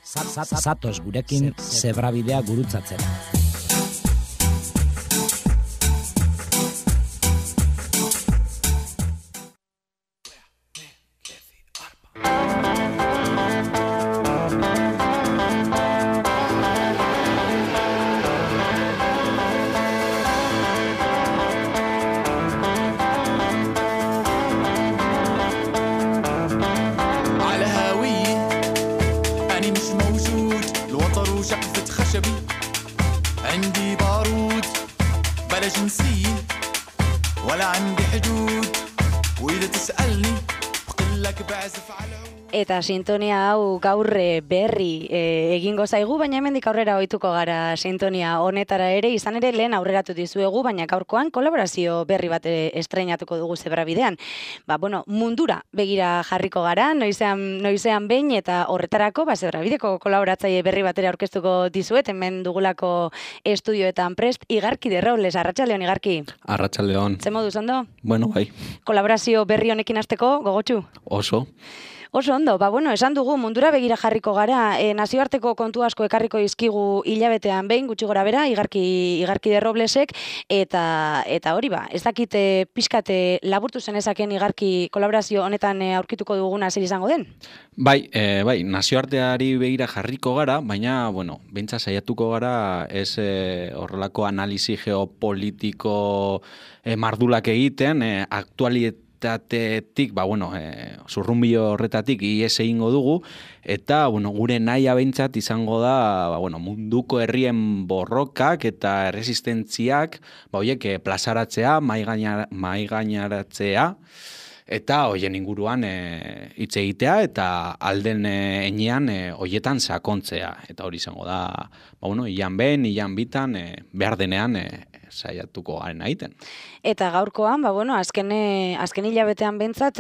Zatoz gurekin zebrabidea gurutzatzera. Eta sintonia hau gaur berri egingo zaigu, baina hemendik aurrera ohituko gara sintonia honetara ere, izan ere lehen aurreratu dizuegu, baina gaurkoan kolaborazio berri bat estreinatuko dugu zebrabidean. Mundura begira jarriko gara, noizean behin, eta horretarako zebrabideko kolaboratzaile berri batera aurkeztuko dizuet, hemen dugulako estudioetan prest, Igarki de Robles. Arratsaldeon, Igarki. Arratsaldeon. Ze moduz, ondo? Bueno, bai. Kolaborazio berri honekin hasteko, gogotsu? Oso ondo, esan dugu mundura begira jarriko gara, nazioarteko kontu asko ekarriko dizkigu hilabetean behin, gutxi gora bera, Igarki de Roblesek, eta hori ez dakite pixkate laburtu zenezaken Igarki kolaborazio honetan aurkituko duguna zer izango den? Bai, nazioarteari begira jarriko gara, baina, bentsa saiatuko gara ez horrelako analisi geopolitiko mardulak egiten, aktualitatetik, zurrunbilo horretatik ies egingo dugu, eta gure nahia behintzat izango da munduko herrien borrokak eta erresistentziak horiek plazaratzea, maigainaratzea, eta hoien inguruan hitz egitea eta alden enean hoietan sakontzea. Eta hori izango da, ilan behin, ilan bitan, behar denean saiatuko garen egiten. Eta gaurkoan, azken hilabetean bentsat,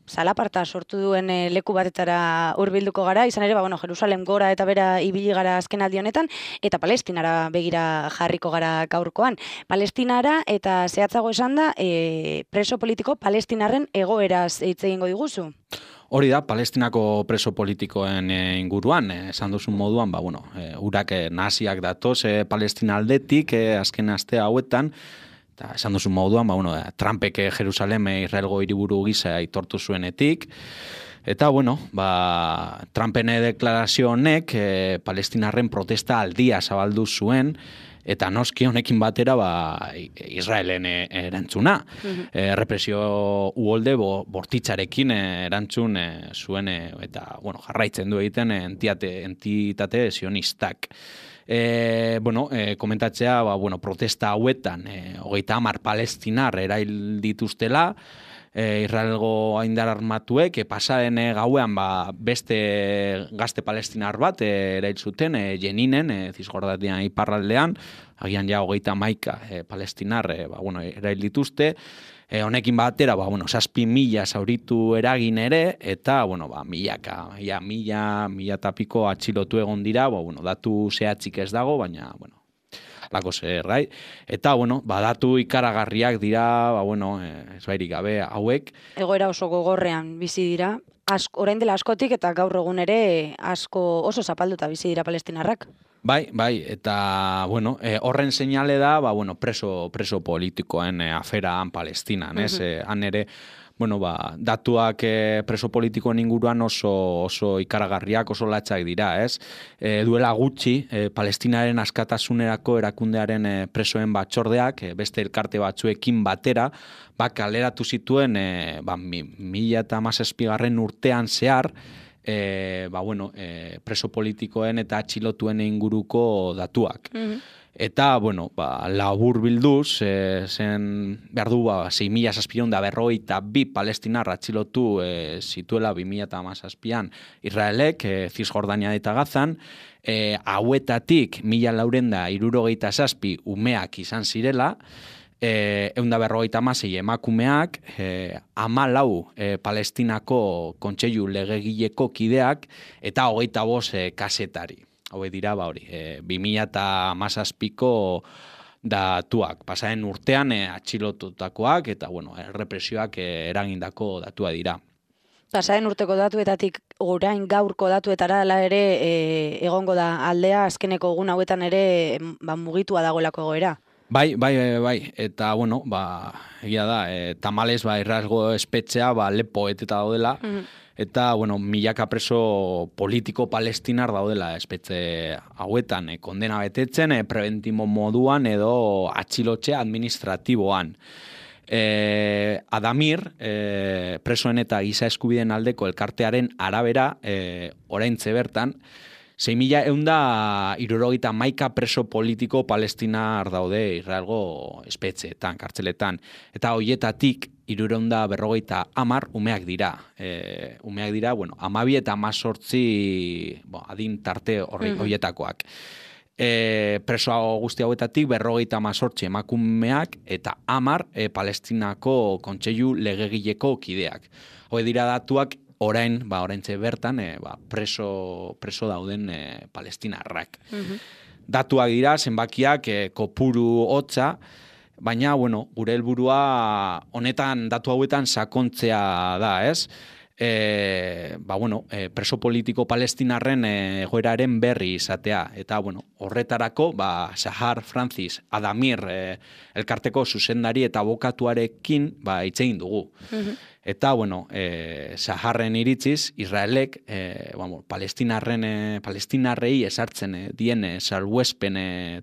zalaparta sortu duen leku batetara hurbilduko gara, izan ere, Jerusalem gora eta bera ibili gara azken aldi honetan, eta Palestinara begira jarriko gara gaurkoan. Palestinara, eta zehatzago esan da, preso politiko palestinarren egoeraz hitz egingo diguzu. Hori da, Palestinako preso politikoen inguruan, esan duzun moduan, urak naziak datoz Palestina aldetik, azken aste hauetan, eta esan duzun moduan, Trumpek Jerusalem Israelgo hiriburu gisa aitortu zuenetik, eta, Trumpen deklarazio honek Palestinarren protesta aldia zabaldu zuen, eta noski honekin batera Israelen erantzuna. Represio uholde bortitzarekin erantzun zuen, eta jarraitzen du egiten entitate sionistak. Komentatzea, protesta hauetan, 30 palestinar erail dituztela, Israelgo aindar armatuek pasaren gauean beste gazte palestinar bat erail zuten Jeninen, Zisjordanian iparraldean, agian 31 palestinar erail dituzte. Honekin batera, 7.000 zauritu eragin ere, eta, mila eta piko atxilotu egon dira, datu zehatzik ez dago, baina, lako zer, eta, datu ikaragarriak dira, ez bairik gabe hauek. Egoera oso gogorrean bizi dira, orain dela askotik eta gaur egun ere oso zapalduta bizi dira palestinarrak. Bai, eta, horren seinale da, preso politikoen aferaan Palestinan, ez? Han ere, datuak preso politikoen inguruan oso ikaragarriak, oso latzak dira, ez? Duela gutxi, Palestinaren askatasunerako erakundearen presoen batzordeak, beste elkarte batzuekin batera, kaleratu zituen 2017 urtean zehar, preso politikoen eta atxilotuen inguruko datuak. Eta, labur bilduz, zen behar du 6.752 palestinar atxilotu zituela 2017an Israelek, Zisjordania eta Gazan, hauetatik 1.467 umeak izan zirela, 156 emakumeak, 14 Palestinako kontseilu legegileko kideak, eta 25 kazetari. Hau dira, 2017ko datuak. Pasaren urtean atxilotutakoak, eta, errepresioak eragindako datua dira. Pasaden urteko datuetatik orain gaurko datuetara hala ere egongo da aldea azkeneko egun hauetan ere mugitua dagoelako egoera. Bai. Eta, bueno, egia da, tamales, irrasgo espetxea, lepo eteta daudela, eta, bueno, milaka preso politiko palestinar daudela espetxe hauetan, kondena betetzen, preventimo moduan edo atxilotxe administratiboan. Adamir, presoen eta giza eskubideen aldeko elkartearen arabera, oraintze bertan, 6.171 preso politiko palestinar daude Israelgo espetxeetan, kartzeletan. Eta hoietatik 650 umeak dira. Umeak dira, 12 eta 18 adin tarte hoietakoak. Preso guzti hauetatik 58 emakumeak eta 10 Palestinako kontseilu legegileko kideak. Hoi dira datuak oraintze bertan preso dauden palestinarrak. Datuak dira, zenbakiak kopuru hotza, baina, gure helburua honetan datu hauetan sakontzea da, ez? Preso politiko palestinarren egoeraren berri izatea. Eta, horretarako, Sahar Francis Adamir elkarteko zuzendari eta abokatuarekin hitz egin dugu. Eta, Saharren iritziz, Israelek palestinarrei esartzen dien salbuespen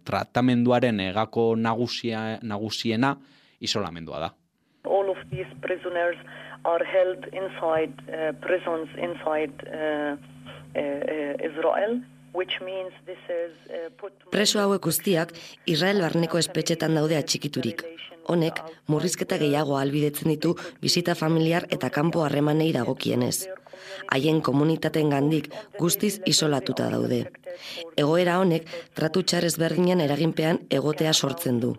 tratamenduaren egako nagusiena isolamendua da. All of these prisoners are held inside prisons inside Israel, which means this is Preso hauek guztiak Israel barneko espetxetan daude atxikiturik. Honek murrizketa gehiago ahalbidetzen ditu bisita familiar eta kanpo harremanei dagokienez. Haien komunitatengandik guztiz isolatuta daude. Egoera honek tratu txar ezberdinen eraginpean egotea sortzen du.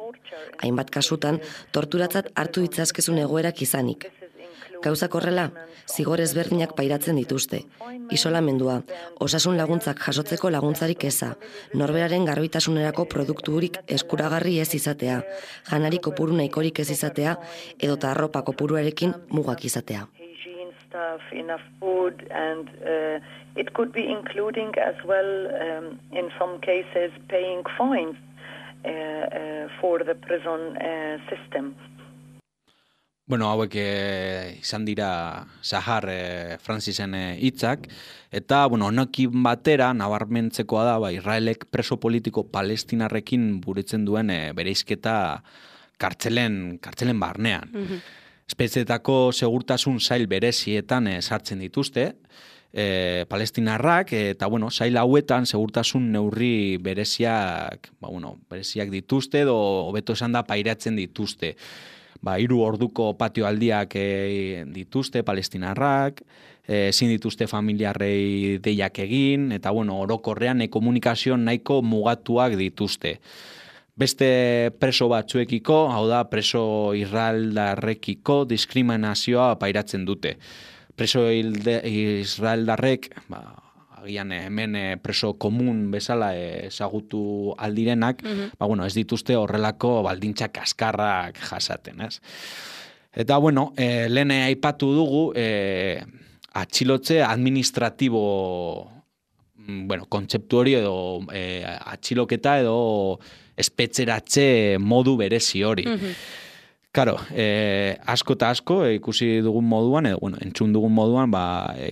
Hainbat kasutan torturatzat hartu ditzazkezun egoerak izanik. Gauzak horrela, zigor ezberdinak pairatzen dituzte. Isolamendua, osasun laguntzak jasotzeko laguntzarik eza, norberaren garbitasunerako produkturik eskuragarri ez izatea, janari kopuru nahikorik ez izatea, edota arropa kopuruarekin mugak izatea. Enough food, and it could be including as well, in some cases, paying fines for the prison system. Hauek izan dira Sahar Francisen hitzak, eta honekin batera nabarmentzekoa da Israelek preso politiko palestinarrekin buritzen duen bereizketa kartzelen barnean. Espetxeetako segurtasun sail berezietan sartzen dituzte, palestinarrak, eta sail hauetan segurtasun neurri bereziak dituzte, edo hobeto esan da pairatzen dituzte. 3 orduko patioaldiak dituzte palestinarrak, ezin dituzte familiarrei deiak egin, eta orokorrean komunikazio nahiko mugatuak dituzte. Beste preso batzuekiko, hau da preso israeldarrekiko diskriminazioa pairatzen dute. Preso israeldarrek, agian hemen preso komun bezala ezagutu aldirenak, ez dituzte horrelako baldintzak kaskarrak jasaten, ez? Eta, lehen aipatu dugu, atxilotze administratibo, kontzeptu hori edo atxiloketa edo espetxeratze modu berezi hori. Karo, asko eta asko ikusi dugun moduan, edo, entzun dugun moduan,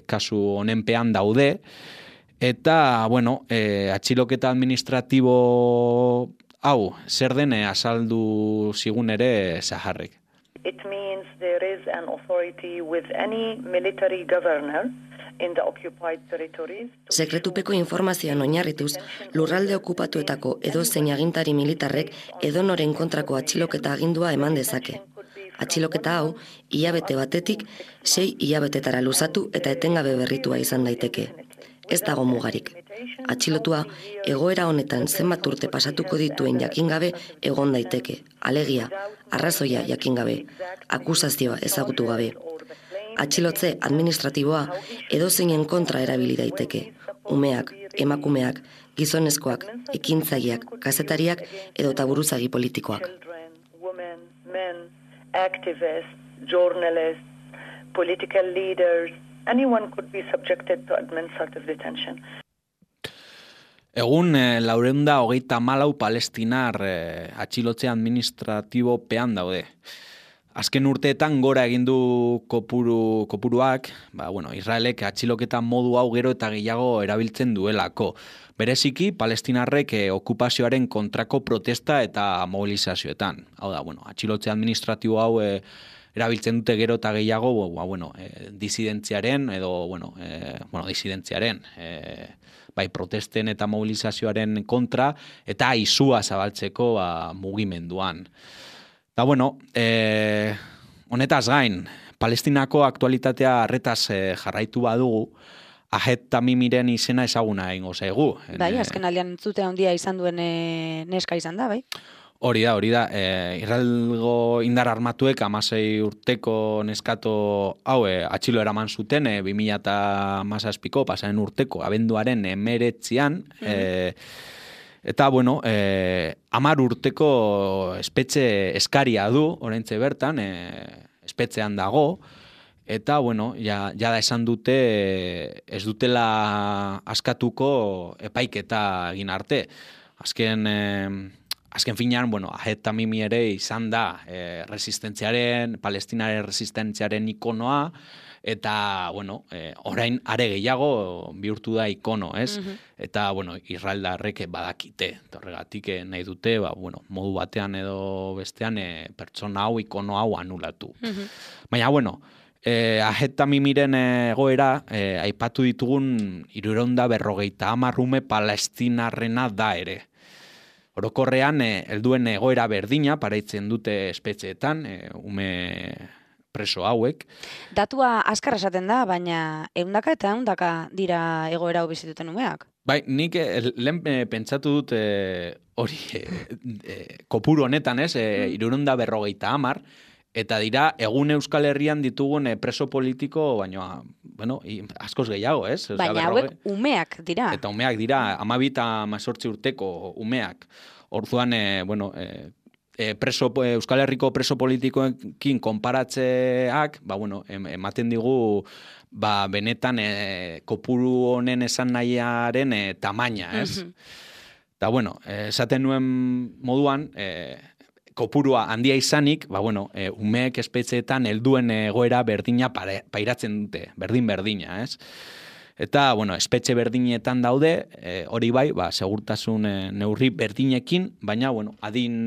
kasu honenpean daude, eta, atxiloketa administratibo hau, zer den azaldu zigun ere Saharrek. It means there is an authority with any military governor in the occupied territories. Sekretupeko informazioan oinarrituz, lurralde okupatuetako edozein agintari militarrek edonoren kontrako atxiloketa agindua eman dezake. Atxiloketa hau, hilabete batetik 6 hilabetetara luzatu eta etengabe berritua izan daiteke. Ez dago mugarik. Atxilotua, egoera honetan zenbat urte pasatuko dituen jakingabe egon daiteke. Alegia, arrazoia jakingabe, akusazioa ezagutu gabe. Atxilotze administratiboa edozeinen kontra erabili daiteke. Umeak, emakumeak, gizonezkoak, ekintzaileak, kazetariak edota buruzagi politikoak. Women, men, activists, journalists, political leaders, anyone could be subjected to administrative detention. Egun, 434 palestinar atxilotze administratibopean daude. Azken urteetan gora egin du kopuruak, Israelek atxiloketa modu hau gero eta gehiago erabiltzen duelako. Bereziki, palestinarrek okupazioaren kontrako protesta eta mobilizazioetan. Hau da, atxilotze administratibo hau erabiltzen dute gero eta gehiago, disidentziaren bai protesten eta mobilizazioaren kontra, eta izua zabaltzeko mugimenduan. Da, honetaz gain, Palestinako aktualitatea arretaz jarraitu badugu, Ahed Tamimiren izena ezaguna egingo zaigu. Bai, azken aldean entzute handia izan duen neska izan da, bai? Hori da. Israelgo indar armatuek 16 urteko neskato hau atxilo eraman zuten 2017ko pasaren urteko abenduaren 19an, eta 10 urteko espetxe eskaria du oraintxe bertan, espetxean dago, eta ja da esan dute ez dutela askatuko epaiketa egin arte. Azken finean, Ahed Tamimi ere izan da palestinaren resistentziaren ikonoa, eta, orain are gehiago bihurtu da ikono, ez? Eta, israeldarrek badakite, horregatik nahi dute, modu batean edo bestean pertsona hau, ikono hau anulatu. Baina, Ahed Tamimiren egoera, aipatu ditugun 350 ume palestinarrena da ere. Orokorrean, helduen egoera berdina paraitzen dute espetxeetan, ume preso hauek. Datua azkar esaten da, baina 100 eta 100 dira egoera hau bizituten umeak. Bai, nik lehen pentsatu dut hori kopuru honetan, 350, eta dira egun Euskal Herrian ditugun preso politiko, baina, askoz gehiago, ez? Baina hauek umeak dira. Eta umeak dira, 12 eta 18 urteko umeak. Orduan, Euskal Herriko preso politikoekin konparatzeak, ematen digu, benetan kopuru honen esan nahiaren tamaina, ez? Eta, esaten nuen moduan, kopurua handia izanik, umeek espetxeetan helduen egoera berdina pairatzen dute, berdina, ez? Eta, espetxe berdinetan daude, hori bai, segurtasun neurri berdinekin, baina, adin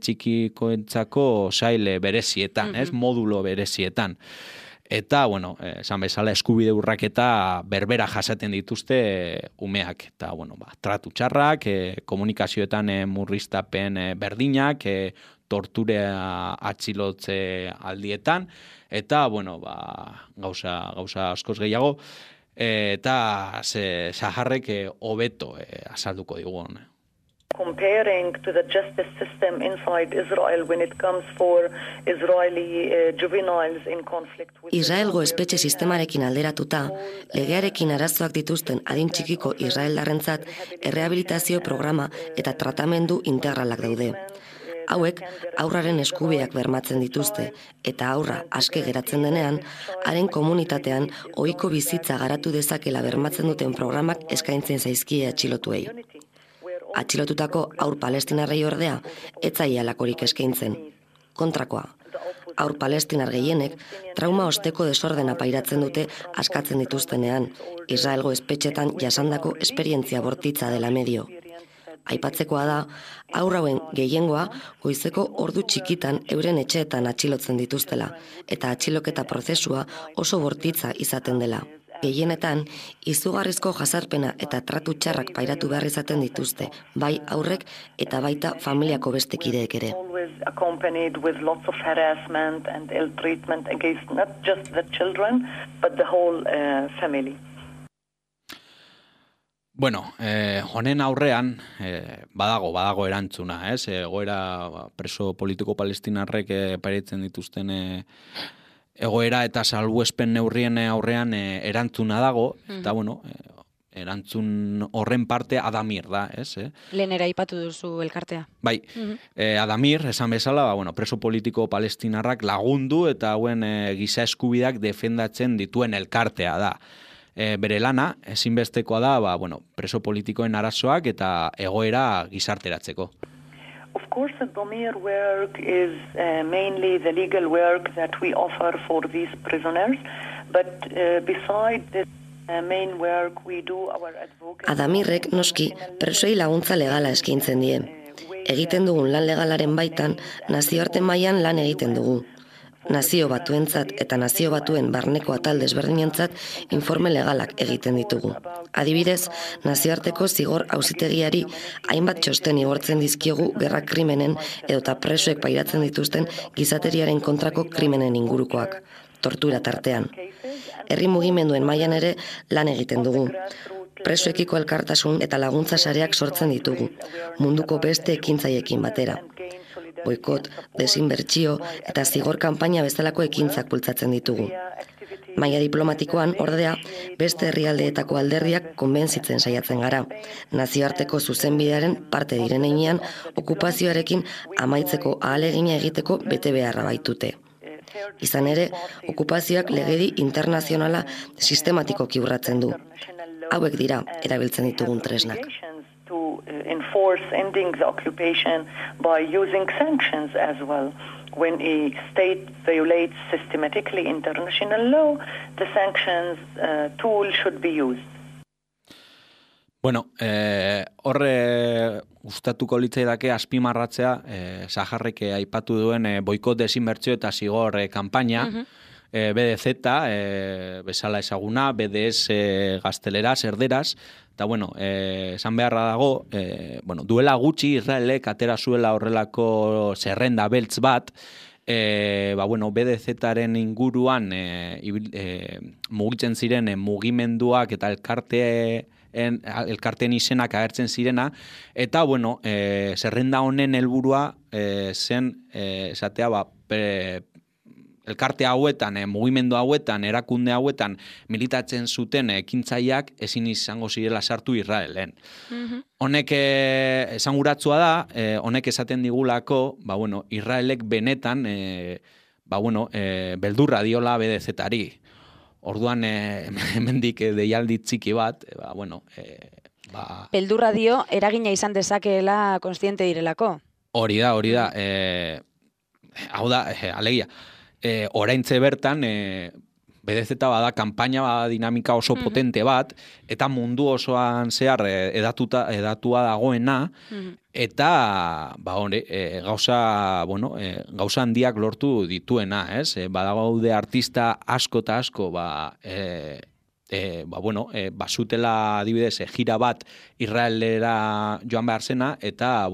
txikikoentzako saile berezietan, ez? Modulo berezietan. Eta, esan bezala, eskubide urraketa berbera jasaten dituzte umeak. Eta, tratu txarrak, komunikazioetan murriztapen berdinak, torturea atxilotze aldietan, eta, gauza askoz gehiago, eta Saharrek hobeto azalduko digun. Comparing to the justice system inside Israel when it comes for Israeli juveniles in conflict with Israelgo espetxe sistemarekin alderatuta, legearekin arazoak dituzten adin txikiko israeldarrentzat errehabilitazio programa eta tratamendu integralak daude. Hauek haurraren eskubideak bermatzen dituzte eta haurra aske geratzen denean, haren komunitatean ohiko bizitza garatu dezakela bermatzen duten programak eskaintzen zaizkie atxilotuei. Atxilotutako haur palestinarrei ordea, ez zaie halakorik eskaintzen. Kontrakoa, haur palestinar gehienek trauma osteko desordena pairatzen dute askatzen dituztenean, Israelgo espetxetan jasandako esperientzia bortitza dela medio. Aipatzekoa da, haur hauen gehiengoa goizeko ordu txikitan euren etxeetan atxilotzen dituztela, eta atxiloketa prozesua oso bortitza izaten dela. Gehienetan, izugarrizko jazarpena eta tratu txarrak pairatu behar izaten dituzte, bai aurrek eta baita familiako beste kideek ere. Accompanied with lots of harassment and ill treatment against not just the children, but the whole family. Honen aurrean, badago erantzuna, ez? Egoera preso politiko palestinarrek pairatzen dituzten egoera eta salbuespen neurrien aurrean erantzuna dago, eta erantzun horren parte Adamir da, ez? Lehenera aipatu duzu elkartea. Bai, Adamir, esan bezala, preso politiko palestinarrak lagundu eta hauen giza eskubideak defendatzen dituen elkartea da. Bere lana, ezinbestekoa da, preso politikoen arazoak eta egoera gizarteratzeko. Of course, the Adamir work is mainly the legal work that we offer for these prisoners, but besides this main work we do our advocacy. Adamirrek noski presoei laguntza legala eskaintzen die. Egiten dugun lan legalaren baitan nazioarte mailan lan egiten dugu. Nazio batuentzat eta nazio batuen barneko atal desberdinentzat informe legalak egiten ditugu. Adibidez, nazioarteko zigor auzitegiari hainbat txosten igortzen dizkiogu gerra krimenen edota presoek pairatzen dituzten gizateriaren kontrako krimenen ingurukoak, tortura tartean. Herri mugimenduen mailan ere lan egiten dugu. Presoekiko elkartasun eta laguntza sareak sortzen ditugu, munduko beste ekintzaiekin batera. Boikot, desinbertsio eta zigor kanpaina bezalako ekintzak bultzatzen ditugu. Maila diplomatikoan, ordea, beste herrialdeetako alderdiak konbentzitzen saiatzen gara. Nazioarteko zuzenbidearen parte diren heinean, okupazioarekin amaitzeko ahalegina egiteko bete beharra baitute. Izan ere, okupazioak legedi internazionala sistematikoki urratzen du. Hauek dira erabiltzen ditugun tresnak. To enforce ending the occupation by using sanctions as well. When a state violates systematically international law, the sanctions tool should be used. Bueno, horre gustatuko litzaidake azpimarratzea, Saharrek aipatu duen boikot desinbertsio eta zigor kanpaina, BDZ, bezala ezaguna, BDS gazteleraz, erderaz, eta esan beharra dago, duela gutxi Israelek atera zuela horrelako zerrenda beltz bat, BDZ-aren inguruan mugitzen ziren mugimenduak eta elkarteen izenak agertzen zirena, eta zerrenda honen helburua zen esatea elkarte hauetan, mugimendu hauetan, erakunde hauetan militatzen zuten ekintzaileak ezin izango zirela sartu Israelen. Honek esanguratsua da, honek esaten digulako, Israelek benetan, beldurra diola BDZ-ari. Orduan, hemendik deialdi txiki bat, beldurra dio, eragina izan dezakeela kontziente direlako. Hori da. Hau da, alegia. Oraintze bertan, BDZ bada kanpaina bada dinamika oso potente bat, eta mundu osoan zehar edatua dagoena, eta gauza handiak lortu dituena, ez? Badagaude artista asko eta asko, basutela adibidez gira bat Israelera joan behar zena eta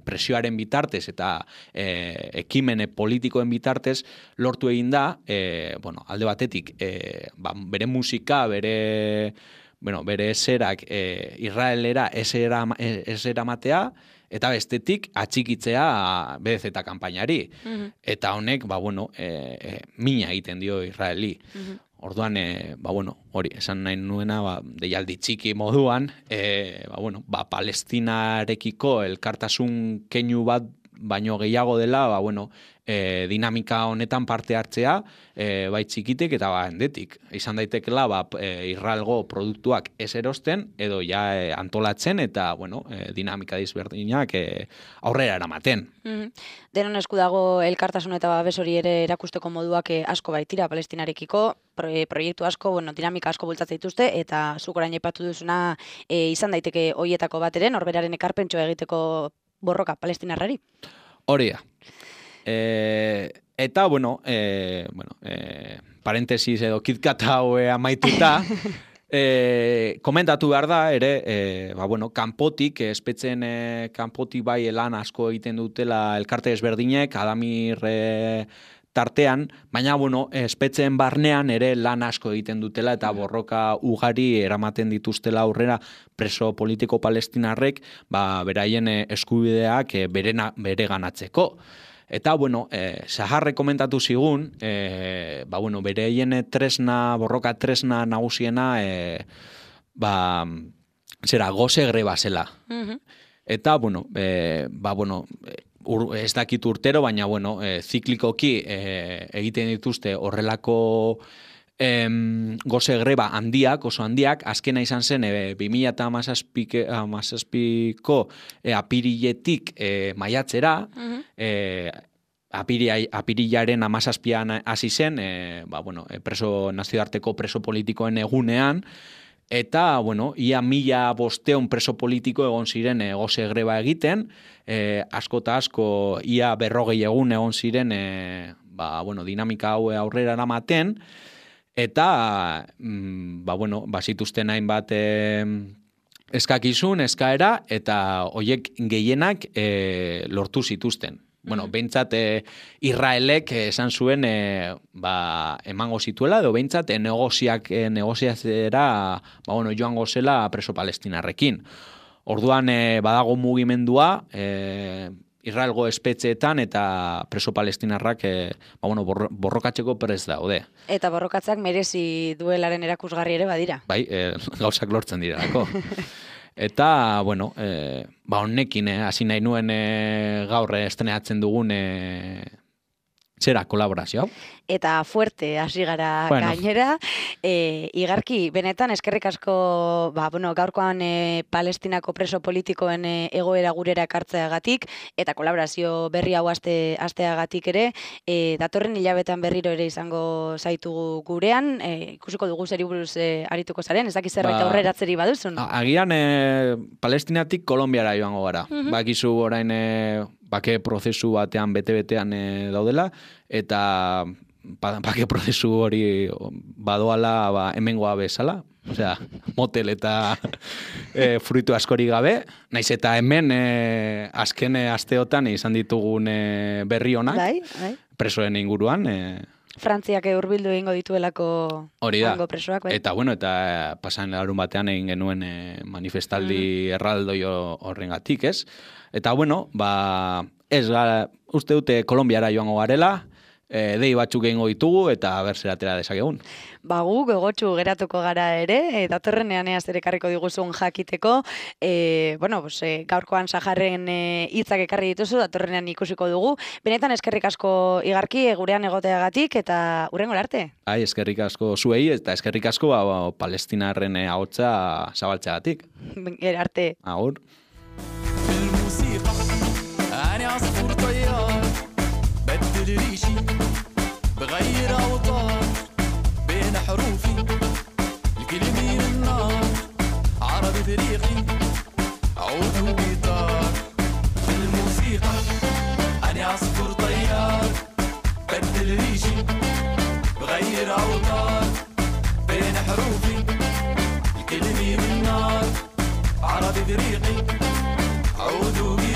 presioaren bitartez eta ekimen politikoen bitartez lortu egin da alde batetik bere musika, bere eserak Israelera esera matea eta bestetik atxikitzea BDZ kanpainari. Eta honek mina egiten dio Israeli. Orduan, hori, esan nahi nuena, deialdi txiki moduan, Palestinarekiko elkartasun keinu bat baino gehiago dela, dinamika honetan parte hartzea, bai txikitek eta hendetik. Izan daitekela, Israelgo produktuak ez erosten, edo ja antolatzen, eta, dinamika dizberdinak aurrera eramaten. Denon esku dago elkartasun eta babes hori ere erakusteko moduak asko baitira Palestinarekiko, proiektu asko, dinamika asko bultzatzen dituzte, eta zuk orain aipatu duzuna izan daiteke hoietako bat ere, norberaren ekarpentxoa egiteko borroka palestinarrari. Hori da. Eta, parentesis edo KitKat hau amaituta, komentatu behar da, ere, kanpotik, espetzen kanpotik bai lan asko egiten dutela elkarte ezberdinek, Adamir tartean, baina, espetzen barnean ere lan asko egiten dutela eta borroka ugari eramaten dituztela aurrera preso politiko palestinarrek, beraien eskubideak bere ganatzeko. Eta, Saharrek komentatu zigun, beraien borroka tresna nagusiena goze greba zela. Eta, bueno, ez dakit urtero, baina, bueno, ziklikoki egiten dituzte horrelako goze greba handiak, oso handiak, azkena izan zen 2017ko apiriletik maiatzera, apirilaren 17an hasi zen, nazioarteko preso politikoen egunean, eta, bueno, ia 1500 preso politiko egon ziren goze greba egiten, asko eta asko ia 40 egun egon ziren dinamika hau aurrera eramaten, eta, zituzten hainbat eskakizun, eskaera, eta hoiek gehienak lortu zituzten. Bueno, behintzat Israelek esan zuen emango zituela, edo behintzat negoziatzera joango zela preso palestinarrekin. Orduan badago mugimendua Israelgo espetxeetan eta preso palestinarrak borrokatzeko prest daude. Eta borrokatzak merezi duelaren erakusgarri ere badira. Bai, gauzak lortzen direlako. Eta, honekin, hasi nahi nuen gaur estrenatzen dugun kolaborazio. Eta fuerte hasi gara gainera. Igarki, benetan, eskerrik asko, gaurkoan Palestinako preso politikoen egoera gurera ekartzeagatik, eta kolaborazio berri hau asteagatik ere, datorren hilabetean berriro ere izango zaitugu gurean, ikusiko dugu zeri buruz arituko zaren, ez dakiz zerbait aurreratzeri baduzun? Agian, Palestinatik Kolonbiara joango gara. Bakizu orain bake prozesu batean, bete-betean daudela, eta bake prozesu hori badoala hemengoa bezala, osea, motel eta fruitu askori gabe, naiz eta hemen azken asteotan izan ditugun berri onak, presoen inguruan. Frantziak hurbildu egingo dituelako hango presoak. Eta, eta pasan larun batean egin genuen manifestaldi erraldoi horrengatik, ez? Eta, uste dute Kolonbiara joango garela, dei batzuk egingo ditugu eta berzeratera dezakegun. Gu gogotsu geratuko gara ere, datorrenean zer ekarriko diguzun jakiteko, gaurkoan Saharren hitzak ekarri dituzu, datorrenean ikusiko dugu. Benetan eskerrik asko Igarki gurean egoteagatik eta hurrengora arte. Eskerrik asko zuei eta eskerrik asko Palestinarren ahotsa zabaltzeagatik. Gero arte. Agur. عصفور طيار بدل ريشي بغير أوطار بين حروفي الكلمة من النار عربي فريقي عود وجيتار في الموسيقى أنا عصفور طيار بدل ريشي بغير أوطار بين حروفي الكلمة من النار عربي فريقي عود وجيتار